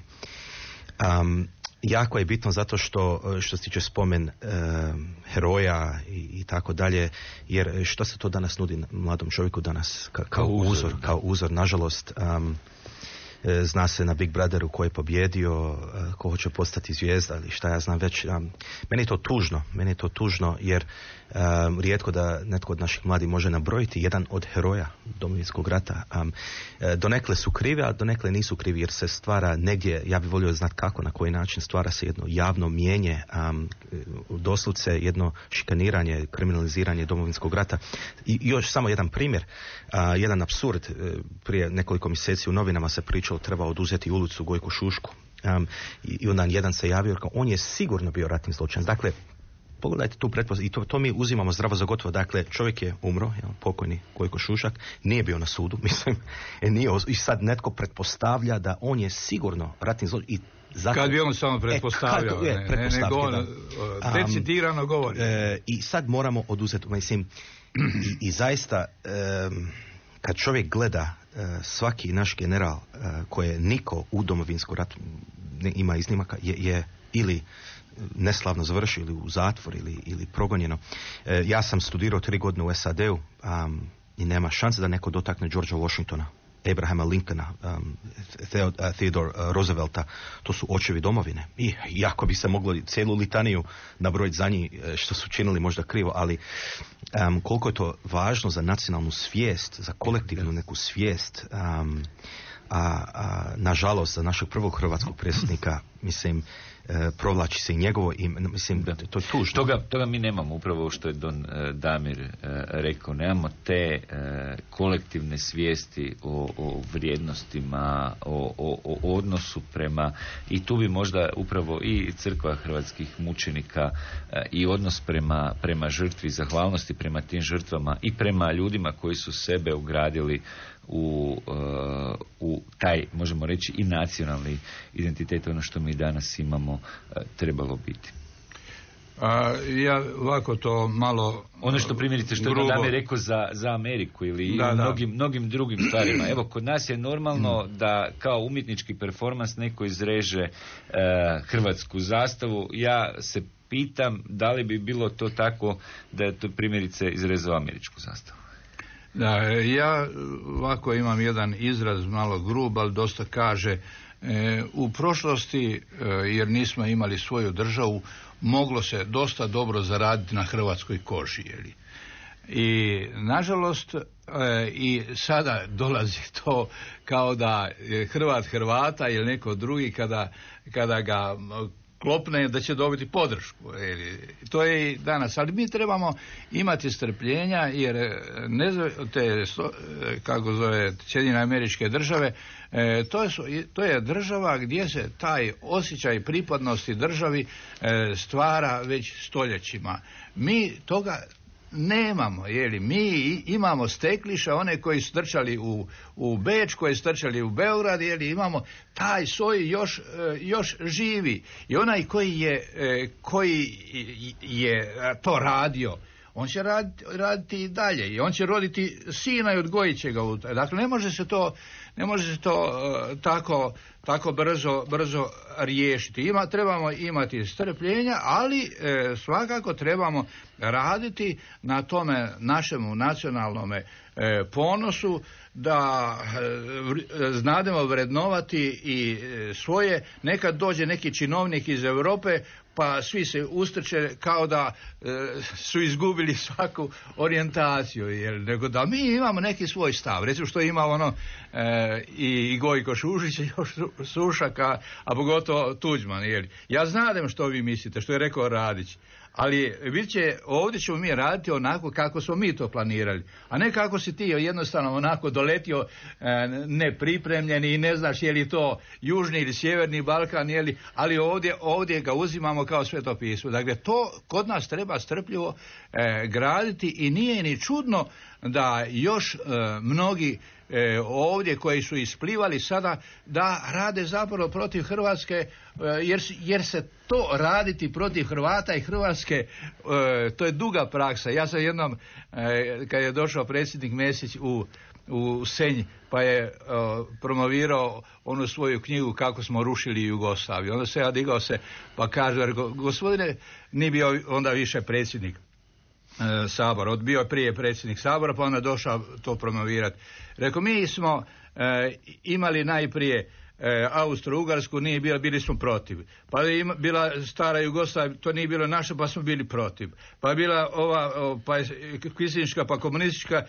jako je bitno zato što se tiče spomen heroja i tako dalje, jer što se to danas nudi mladom čovjeku danas kao uzor, nažalost. zna se na Big Brotheru ko je pobjedio, ko hoće postati zvijezda ili šta ja znam već. Meni je to tužno jer rijetko da netko od naših mladih može nabrojiti jedan od heroja Domovinskog rata. Donekle su krivi, a donekle nisu krivi jer se stvara negdje, ja bih volio znati kako, na koji način stvara se jedno javno mijenje, doslovce jedno šikaniranje, kriminaliziranje Domovinskog rata. I još samo jedan primjer, jedan apsurd. Prije nekoliko mjeseci u novinama se pričalo treba oduzeti ulicu Gojku Šušku. I onda jedan se javio, on je sigurno bio ratni zločinac. Dakle, pogledajte tu pretpostavku, i to mi uzimamo zdravo za gotovo. Dakle, čovjek je umro, pokojni Gojko Šušak, nije bio na sudu, mislim, i sad netko pretpostavlja da on je sigurno ratni zločinac. Kad bi on samo pretpostavljao, decidirano govori. I sad moramo oduzeti, mislim, i zaista, kad čovjek gleda svaki naš general koje niko u Domovinskom ratu ima iznimaka je ili neslavno završio ili u zatvor ili progonjeno. Ja sam studirao 3 godine u SAD-u i nema šanse da neko dotakne Georgea Washingtona, Abrahama Lincolna, Theodore Roosevelta. To su očevi domovine. I jako bi se moglo cijelu litaniju nabrojiti za njih što su činili možda krivo, ali koliko je to važno za nacionalnu svijest, za kolektivnu neku svijest, nažalost za našeg prvog hrvatskog predsjednika, mislim, provlači se i njegovo ime, mislim, to je tužno. Toga mi nemamo, upravo što je Don Damir rekao, nemamo te kolektivne svijesti o vrijednostima, o odnosu prema, i tu bi možda upravo i crkva hrvatskih mučenika i odnos prema žrtvi, zahvalnosti prema tim žrtvama i prema ljudima koji su sebe ugradili u taj, možemo reći, i nacionalni identitet, ono što mi danas imamo, trebalo biti. Ja ovako to malo ono što primjerice što je Damir rekao za Ameriku ili mnogim drugim stvarima. Evo, kod nas je normalno da kao umjetnički performans neko izreže hrvatsku zastavu. Ja se pitam da li bi bilo to tako da je to primjerice izrezao američku zastavu. Da, ja ovako imam jedan izraz malo grub, ali dosta kaže, u prošlosti, jer nismo imali svoju državu, moglo se dosta dobro zaraditi na hrvatskoj koži. I nažalost i sada dolazi to kao da Hrvat Hrvata ili neko drugi kada ga klopne da će dobiti podršku. To je i danas. Ali mi trebamo imati strpljenja jer kako zove Sjedinjene Američke Države, to je država gdje se taj osjećaj pripadnosti državi stvara već stoljećima. Mi toga nemamo, mi imamo stekliša, one koji su trčali u Beč, koji su trčali u Beograd, imamo taj soj još živi. I onaj koji je to radio, on će raditi i dalje i on će roditi sina i odgojit će ga u to. Dakle, ne može se to tako brzo riješiti. Trebamo imati strpljenja, ali svakako trebamo raditi na tome našemu nacionalnome ponosu, da znademo vrednovati i svoje. Nekad dođe neki činovnik iz Europe pa svi se ustrče kao da su izgubili svaku orijentaciju, nego da mi imamo neki svoj stav. Recimo što ima i Gojko Šušić i Sušaka, a pogotovo Tuđman. Ja znam što vi mislite, što je rekao Radić, ali ovdje ćemo mi raditi onako kako smo mi to planirali, a ne kako si ti jednostavno onako doletio nepripremljeni i ne znaš je li to južni ili sjeverni Balkan, ali ovdje ga uzimamo kao Sveto pismo. Dakle, to kod nas treba strpljivo graditi i nije ni čudno da još mnogi ovdje koji su isplivali sada da rade zapravo protiv Hrvatske, jer se to raditi protiv Hrvata i Hrvatske, to je duga praksa. Ja sam jednom, kad je došao predsjednik Mesić u Senj, pa je promovirao onu svoju knjigu Kako smo rušili Jugoslaviju. Onda se ja digao pa kaže, gospodine, nije bio onda više predsjednik Sabora, bio je prije predsjednik Sabora, pa onda došao to promovirati. Rekao, mi smo imali najprije Austro-Ugarsku, nije bila, bili smo protiv. Pa je bila stara Jugoslavija, to nije bilo naše, pa smo bili protiv. Pa je bila ova kvislinška, pa komunistička.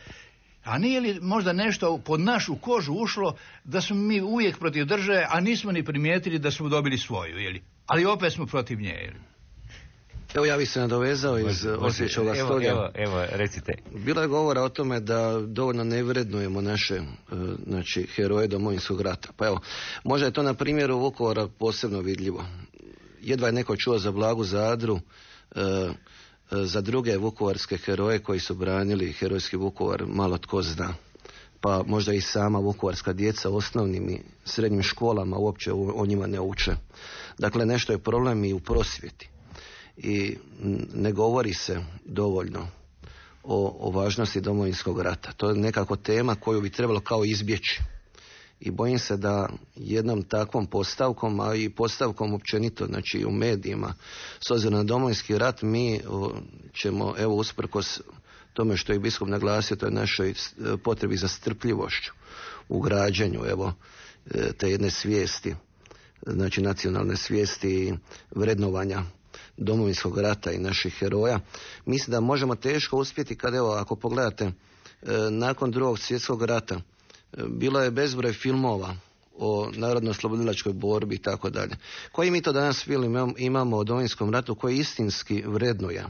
A nije li možda nešto pod našu kožu ušlo da smo mi uvijek protiv države, a nismo ni primijetili da smo dobili svoju, jeli? Ali opet smo protiv nje, jeli? Evo ja bih se nadovezao iz Osječkoga stolja. Evo, recite. Bilo je govora o tome da dovoljno ne vrednujemo naše heroje Domovinskog rata. Pa evo, možda je to na primjeru Vukovara posebno vidljivo. Jedva je neko čuo za Blagu Zadru, za druge vukovarske heroje koji su branili herojski Vukovar malo tko zna. Pa možda i sama vukovarska djeca u osnovnim i srednjim školama uopće o njima ne uče. Dakle, nešto je problem i u prosvjeti. I ne govori se dovoljno o važnosti Domovinskog rata. To je nekako tema koju bi trebalo kao izbjeći. I bojim se da jednom takvom postavkom, a i postavkom općenito, znači u medijima, s obzirom na Domovinski rat, mi ćemo, evo, usprkos tome što je biskup naglasio, to je našoj potrebi za strpljivošću u građenju, evo, te jedne svijesti, znači nacionalne svijesti i vrednovanja Domovinskog rata i naših heroja. Mislim da možemo teško uspjeti kad, evo, ako pogledate, nakon Drugog svjetskog rata bilo je bezbroj filmova o narodno-oslobodilačkoj borbi i tako dalje. Koji mi to danas film imamo o Domovinskom ratu koji istinski vrednuje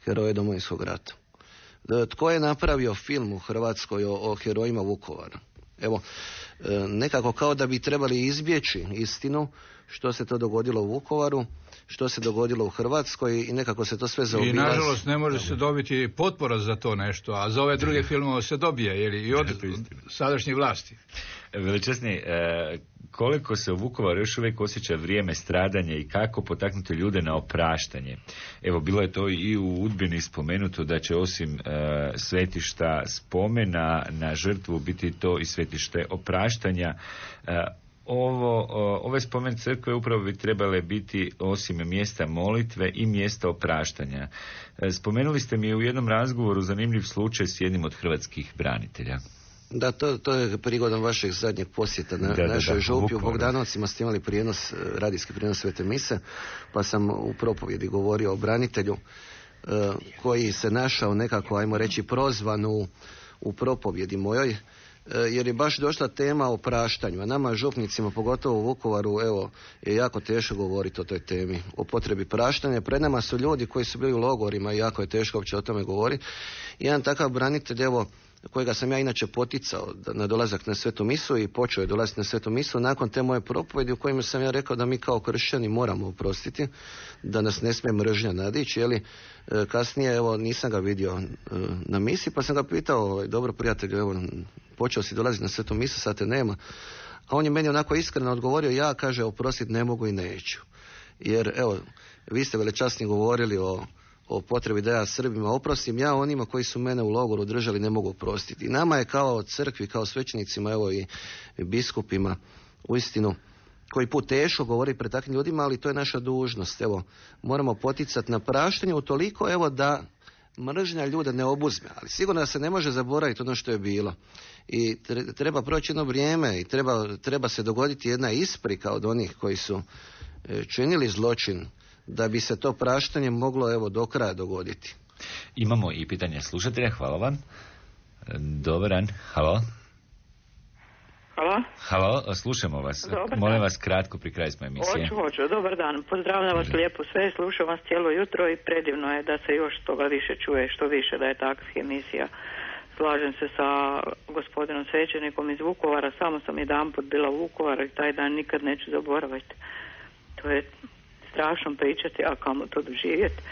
heroje Domovinskog rata? Tko je napravio film u Hrvatskoj o herojima Vukovara? Evo, nekako kao da bi trebali izbjeći istinu što se to dogodilo u Vukovaru, što se dogodilo u Hrvatskoj i nekako se to sve zaobilazi. I nažalost ne može se dobiti potpora za to nešto, a za ove druge filmove se dobije, jer i od sadašnje vlasti. Veličasni, koliko se u Vukovaru još uvijek osjeća vrijeme stradanja i kako potaknuti ljude na opraštanje? Evo, bilo je to i u Udbini spomenuto da će osim svetišta spomena na žrtvu biti to i svetište opraštanja. Ove spomen crkve upravo bi trebale biti osim mjesta molitve i mjesta opraštanja. Spomenuli ste mi u jednom razgovoru zanimljiv slučaj s jednim od hrvatskih branitelja. Da, to je prigodom vašeg zadnjeg posjeta na našoj župi u Bogdanovcima. Ste imali radijski prijenos Svete mise, pa sam u propovjedi govorio o branitelju koji se našao nekako, ajmo reći, prozvan u propovjedi mojoj, jer je baš došla tema o praštanju. A nama župnicima, pogotovo u Vukovaru, evo, je jako teško govoriti o toj temi, o potrebi praštanja. Pred nama su ljudi koji su bili u logorima i jako je teško uopće o tome govoriti. Jedan takav branitelj, evo, kojega sam ja inače poticao na dolazak na Svetu misu i počeo je dolaziti na Svetu misu nakon te moje propovjedi u kojima sam ja rekao da mi kao kršćani moramo oprostiti, da nas ne smije mržnja nadići, jeli. Kasnije, evo, nisam ga vidio na misi, pa sam ga pitao, dobro prijatelju, evo, počeo si dolaziti na Svetu misu, sad te nema. A on je meni onako iskreno odgovorio, ja, kaže, oprostiti ne mogu i neću. Jer, evo, vi ste velečasni govorili o potrebi da ja Srbima oprostim, ja onima koji su mene u logoru držali ne mogu oprostiti. I nama je kao crkvi, kao svećenicima, evo, i biskupima, uistinu, koji put teško govori pred takvim ljudima, ali to je naša dužnost. Evo, moramo poticati na praštanje utoliko, evo, da mržnja ljude ne obuzme, ali sigurno da se ne može zaboraviti ono što je bilo. I treba proći jedno vrijeme i treba se dogoditi jedna isprika od onih koji su činili zločin, da bi se to praštanje moglo, evo, do kraja dogoditi. Imamo i pitanje slušatelja, hvala vam. Dobar dan, halo. Halo? Halo, slušamo vas. Molim vas kratko, pri kraju smo emisije. Hoću, dobar dan. Pozdravljam vas lijepo sve, slušam vas cijelo jutro i predivno je da se još toga više čuje, što više da je takvih emisija. Slažem se sa gospodinom svećenikom iz Vukovara, samo sam jedanput bila u Vukovaru i taj dan nikad neću zaboraviti. To je strašno pričati, a kamo to doživjeti.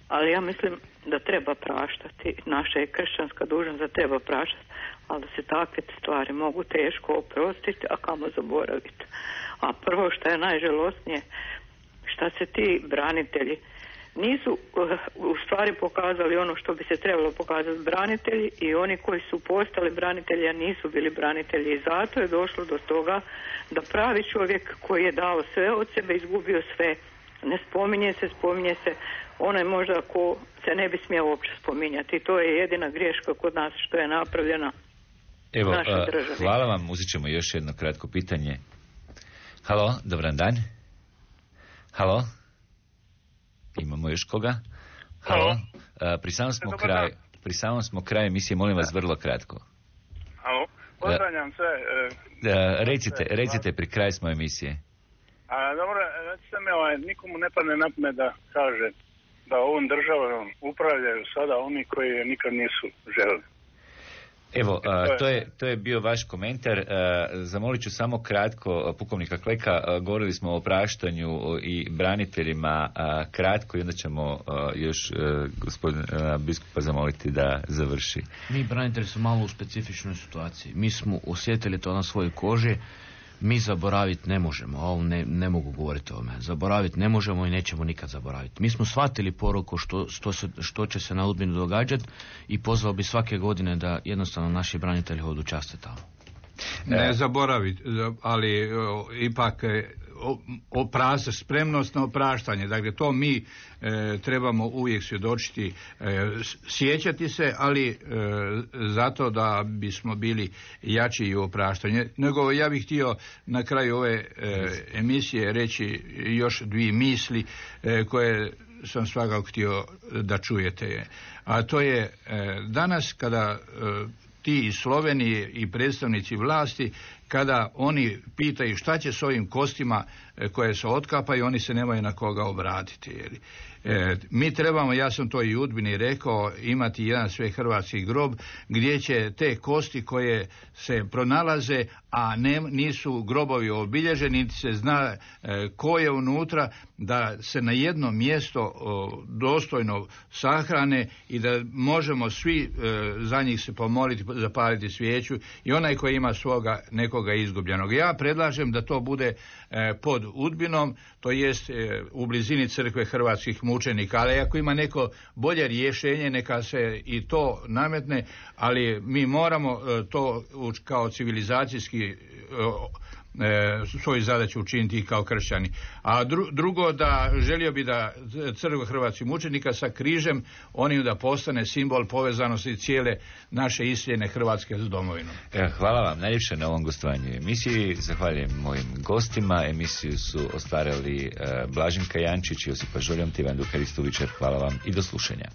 Ali ja mislim da treba praštati. Naša je kršćanska dužnost da treba praštati, ali da se takve stvari mogu teško oprostiti, a kamo zaboraviti. A prvo što je najžalosnije, šta se ti branitelji nisu u stvari pokazali ono što bi se trebalo pokazati branitelji, i oni koji su postali branitelji, a nisu bili branitelji, i zato je došlo do toga da pravi čovjek koji je dao sve od sebe, izgubio sve. Ne spominje se onaj možda ko se ne bi smio uopće spominjati. I to je jedina greška kod nas što je napravljena. Evo, našoj državi. hvala vam, uzet ćemo još jedno kratko pitanje. Halo, dobran dan. Halo? Imamo još koga? Halo? Pri samom smo kraju emisije, molim vas vrlo kratko. Halo, pozdravljam sve. Recite, pri kraju smo emisije. Dobro, recite mi, nikomu ne padne na pamet da kaže da ovom državom upravljaju sada oni koji je nikad nisu želeli. Evo, to je bio vaš komentar. Zamolit ću samo kratko pukovnika Kleka. Govorili smo o opraštanju i braniteljima kratko i onda ćemo još gospodina biskupa zamoliti da završi. Mi branitelji smo malo u specifičnoj situaciji. Mi smo osjetili to na svojoj koži. Mi zaboraviti ne možemo, a ovo ne mogu govoriti o tome. Zaboraviti ne možemo i nećemo nikad zaboraviti. Mi smo shvatili poruku što će se na Udbini događati i pozvao bi svake godine da jednostavno naši branitelji hodu časte tamo. Ne zaboraviti, ali ipak spremnost na opraštanje. Dakle, to mi trebamo uvijek svjedočiti, sjećati se, ali zato da bismo bili jači i u opraštanju. Nego ja bih htio na kraju ove emisije reći još dvije misli koje sam svakako htio da čujete. A to je danas kada ti iz Slovenije i predstavnici vlasti, kada oni pitaju šta će s ovim kostima koje se otkapaju, oni se nemaju na koga obratiti. Mi trebamo, ja sam to i u Udbini rekao, imati jedan svehrvatski grob gdje će te kosti koje se pronalaze, a nisu grobovi obilježeni, niti se zna ko je unutra, da se na jedno mjesto dostojno sahrane i da možemo svi za njih se pomoliti, zapaliti svijeću i onaj koji ima svoga nekoga izgubljenog. Ja predlažem da to bude pod Udbinom, to jest u blizini crkve hrvatskih mučenika, ali ako ima neko bolje rješenje, neka se i to nametne, ali mi moramo to kao civilizacijski svoju zadaću učiniti kao kršćani. A drugo, da želio bi da crkva hrvatskih mučenika sa križem onim da postane simbol povezanosti cijele naše iseljene Hrvatske s domovinom. Hvala vam najljepše na ovom gostovanju emisiji. Zahvaljujem mojim gostima. Emisiju su ostvarili Blaženka Jančić, Josipa Žoljonti, Ivan Dukaristović. Hvala vam i do slušanja.